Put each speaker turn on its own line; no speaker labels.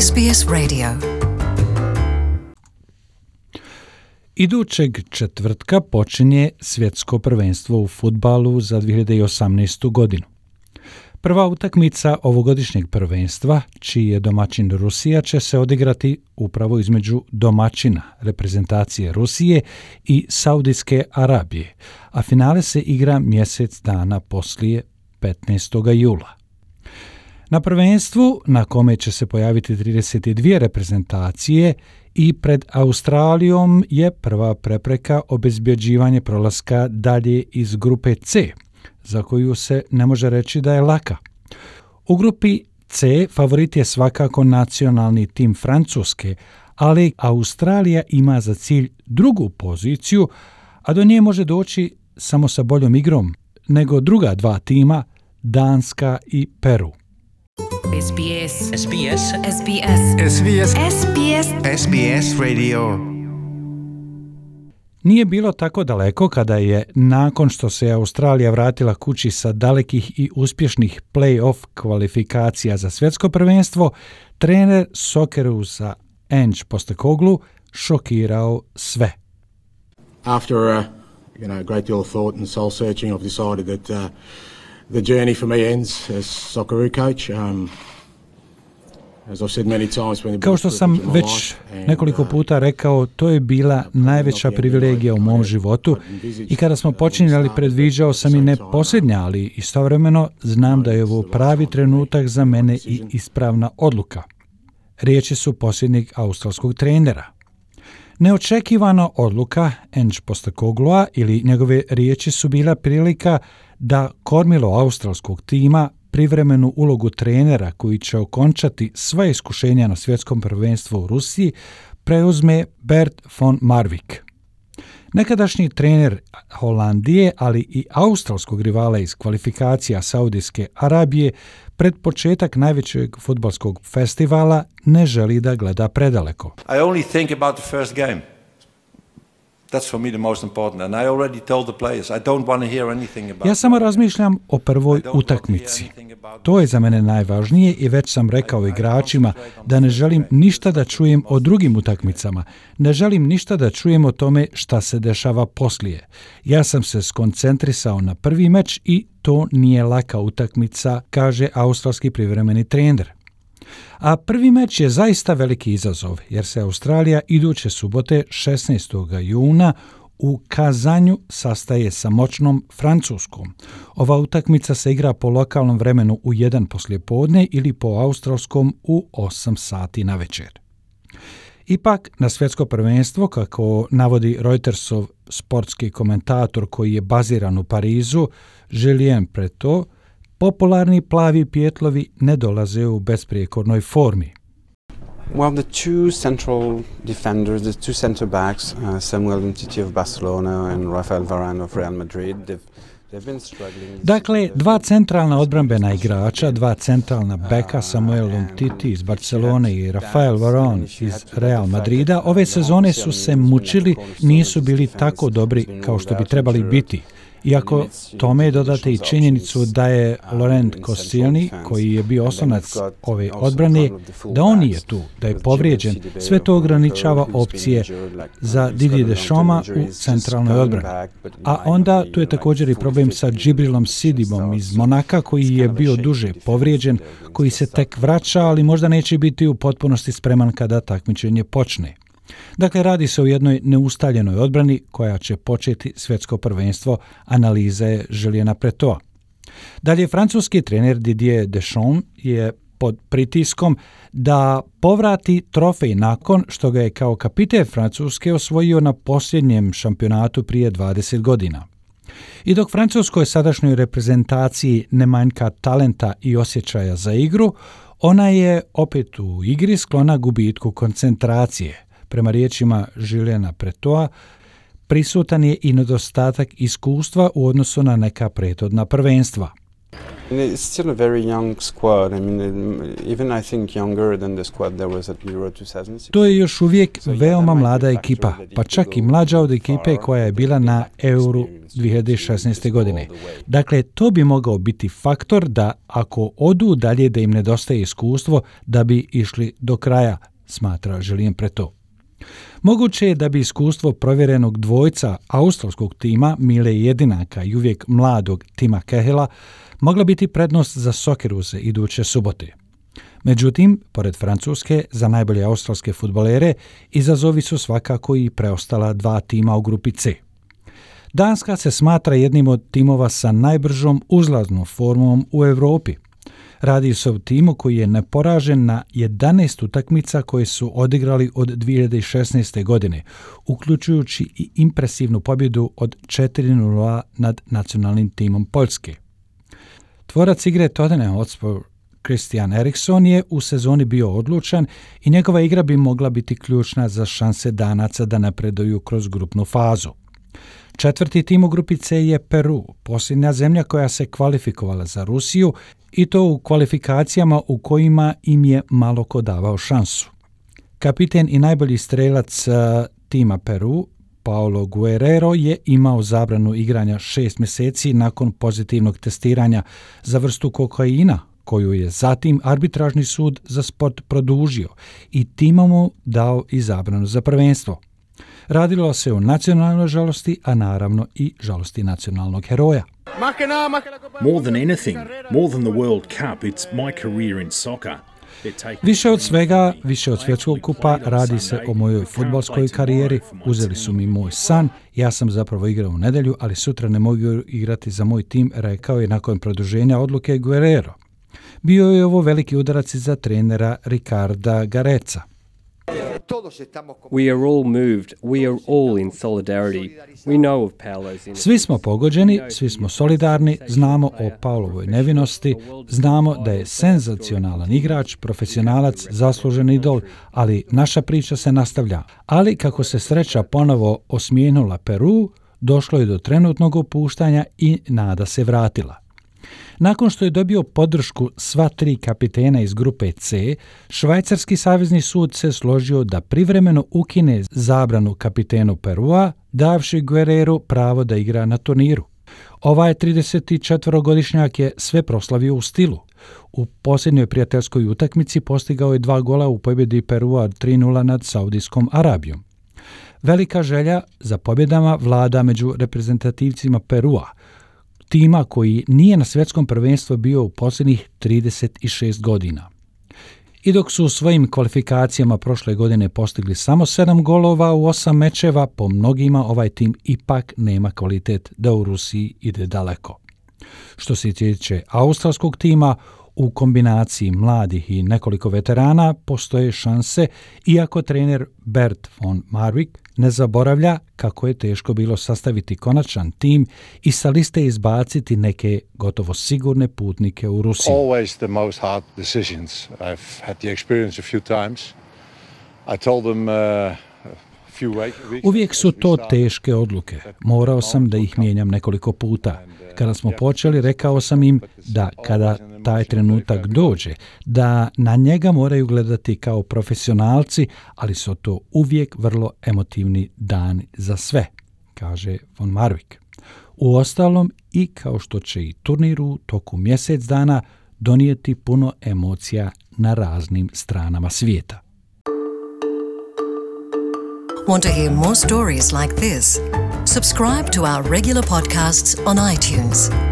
SBS Radio.
Idućeg četvrtka počinje svjetsko prvenstvo u fudbalu za 2018. godinu. Prva utakmica ovogodišnjeg prvenstva, čiji je domaćin Rusija, će se odigrati upravo između domaćina reprezentacije Rusije i Saudijske Arabije, a finale se igra mjesec dana poslije 15. jula. Na prvenstvu, na kome će se pojaviti 32 reprezentacije, i pred Australijom je prva prepreka obezbjeđivanje prolaska dalje iz grupe C, za koju se ne može reći da je laka. U grupi C favorit je svakako nacionalni tim Francuske, ali Australija ima za cilj drugu poziciju, a do nje može doći samo sa boljom igrom nego druga dva tima, Danska i Peru.
SBS SBS SBS SBS SBS
SBS Radio.
Nije bilo tako daleko kada je, nakon što se Australija vratila kući sa dalekih i uspješnih play-off kvalifikacija za svjetsko prvenstvo, trener Soccerusa Ange Postecoglou šokirao sve.
After a great deal of thought and soul searching, I've decided that the journey for me ends as Socceroo coach.
Kao što sam već nekoliko puta rekao, to je bila najveća privilegija u mom životu i kada smo počinjali predviđao sam i ne posljednja, ali istovremeno znam da je ovo pravi trenutak za mene i ispravna odluka. Riječi su posljednjeg australskog trenera. Neočekivana odluka Ange Postecogloua ili njegove riječi su bila prilika da kormilo australskog tima, privremenu ulogu trenera koji će okončati sva iskušenja na svjetskom prvenstvu u Rusiji, preuzme Bert von Marwijk. Nekadašnji trener Holandije, ali i australskog rivala iz kvalifikacija Saudijske Arabije, pred početak najvećeg fudbalskog festivala ne želi da gleda predaleko.
I only think about the first game. That's for me the most important. And I already told the players, I don't want to hear anything about.
Ja samo razmišljam o prvoj utakmici. To je za mene najvažnije i već sam rekao igračima da ne želim ništa da čujem o drugim utakmicama. Ne želim ništa da čujem o tome šta se dešava poslije. Ja sam se skoncentrisao na prvi meč i to nije laka utakmica, kaže australski privremeni trener. A prvi meč je zaista veliki izazov, jer se Australija iduće subote 16. juna u Kazanju sastaje sa moćnom Francuskom. Ova utakmica se igra po lokalnom vremenu u 1 poslijepodne ili po australskom u 8 sati na večer. Ipak, na svjetsko prvenstvo, kako navodi Reutersov sportski komentator koji je baziran u Parizu, Julien Pretot, popularni plavi pijetlovi ne dolaze u besprijekornoj formi.
Well, the two central defenders, the two center backs, Samuel Umtiti of Barcelona and Rafael Varane of Real Madrid, they've been struggling.
Dakle, dva centralna odbrambena igrača, dva centralna beka, Samuel Umtiti iz Barcelone i Rafael Varane iz Real Madrida, ove sezone su se mučili, nisu bili tako dobri kao što bi trebali biti. Iako tome dodate i činjenicu da je Laurent Koscielny, koji je bio oslonac ove odbrane, da on nije tu, da je povrijeđen, sve to ograničava opcije za Didier Deschamps u centralnoj odbrani. A onda tu je također i problem sa Džibrilom Sidibom iz Monaka, koji je bio duže povrijeđen, koji se tek vraća, ali možda neće biti u potpunosti spreman kada takmičenje počne. Dakle, radi se o jednoj neustaljenoj odbrani koja će početi svjetsko prvenstvo, analiza je Juliena Pretoa. Dalje, francuski trener Didier Deschamps je pod pritiskom da povrati trofej nakon što ga je kao kapiten Francuske osvojio na posljednjem šampionatu prije 20 godina. I dok francuskoj sadašnjoj reprezentaciji ne manjka talenta i osjećaja za igru, ona je opet u igri sklona gubitku koncentracije. Prema riječima Juliena Pretoa, prisutan je i nedostatak iskustva u odnosu na neka prethodna prvenstva.
It's still a very young squad. I mean, even I think younger than the squad that was at Euro 2006.
To je još uvijek veoma mlada ekipa, pa čak i mlađa od ekipe koja je bila na Euru 2016. godine. Dakle, to bi mogao biti faktor da ako odu dalje da im nedostaje iskustvo da bi išli do kraja, smatra Julien Preto. Moguće je da bi iskustvo provjerenog dvojca australskog tima Mile Jedinaka i uvijek mladog Tima Cahilla mogla biti prednost za Socceroose iduće subote. Međutim, pored Francuske, za najbolje australske fudbalere izazovi su svakako i preostala dva tima u grupi C. Danska se smatra jednim od timova sa najbržom uzlaznom formom u Europi. Radi se o timu koji je neporažen na 11 utakmica koje su odigrali od 2016. godine, uključujući i impresivnu pobjedu od 4-0 nad nacionalnim timom Poljske. Tvorac igre Tottenham Hotspur Christian Eriksen je u sezoni bio odlučan i njegova igra bi mogla biti ključna za šanse Danaca da napreduju kroz grupnu fazu. Četvrti tim u grupi C je Peru, posljednja zemlja koja se kvalifikovala za Rusiju i to u kvalifikacijama u kojima im je malo ko davao šansu. Kapiten i najbolji strelac tima Peru, Paulo Guerrero, je imao zabranu igranja 6 mjeseci nakon pozitivnog testiranja za vrstu kokaina, koju je zatim arbitražni sud za sport produžio i tima mu dao i zabranu za prvenstvo. Radilo se o nacionalnoj žalosti, a naravno i žalosti nacionalnog heroja.
More than anything, more than the World Cup, it's my career in soccer.
Više od svega, više od svjetskog kupa, radi se o mojoj fudbalskoj karijeri. Uzeli su mi moj san, ja sam zapravo igrao u nedjelju, ali sutra ne mogu igrati za moj tim, rekao je nakon produženja odluke Guerrero. Bio je ovo veliki udarac za trenera Ricarda Gareca.
We are all moved. We are all in solidarity. We know of Paolo's.
Svi smo pogođeni, svi smo solidarni, znamo o Paulovoj nevinosti, znamo da je senzacionalan igrač, profesionalac, zaslužen idol, ali naša priča se nastavlja. Ali kako se sreća ponovo osmijenula Peru, došlo je do trenutnog opuštanja i nada se vratila. Nakon što je dobio podršku sva tri kapitena iz grupe C, švajcarski savezni sud se složio da privremeno ukine zabranu kapitenu Perua, davši Guerreru pravo da igra na turniru. Ovaj 34-godišnjak je sve proslavio u stilu. U posljednjoj prijateljskoj utakmici postigao je 2 gola u pobjedi Perua 3-0 nad Saudijskom Arabijom. Velika želja za pobjedama vlada među reprezentativcima Perua, tima koji nije na svjetskom prvenstvu bio u posljednjih 36 godina. I dok su u svojim kvalifikacijama prošle godine postigli samo 7 golova u 8 mečeva, po mnogima ovaj tim ipak nema kvalitet da u Rusiji ide daleko. Što se tiče australskog tima, u kombinaciji mladih i nekoliko veterana postoje šanse, iako trener Bert von Marwijk ne zaboravlja kako je teško bilo sastaviti konačan tim i sa liste izbaciti neke gotovo sigurne putnike u Rusiju.
Always the most hard decisions. I've had the experience a few times. I told them
Uvijek su to teške odluke. Morao sam da ih mijenjam nekoliko puta. Kada smo počeli, rekao sam im da kada taj trenutak dođe, da na njega moraju gledati kao profesionalci, ali su to uvijek vrlo emotivni dani za sve, kaže von Marwijk. Uostalom, i kao što će i turnir u toku mjesec dana donijeti puno emocija na raznim stranama svijeta.
Want to hear more stories like this? Subscribe to our regular podcasts on iTunes.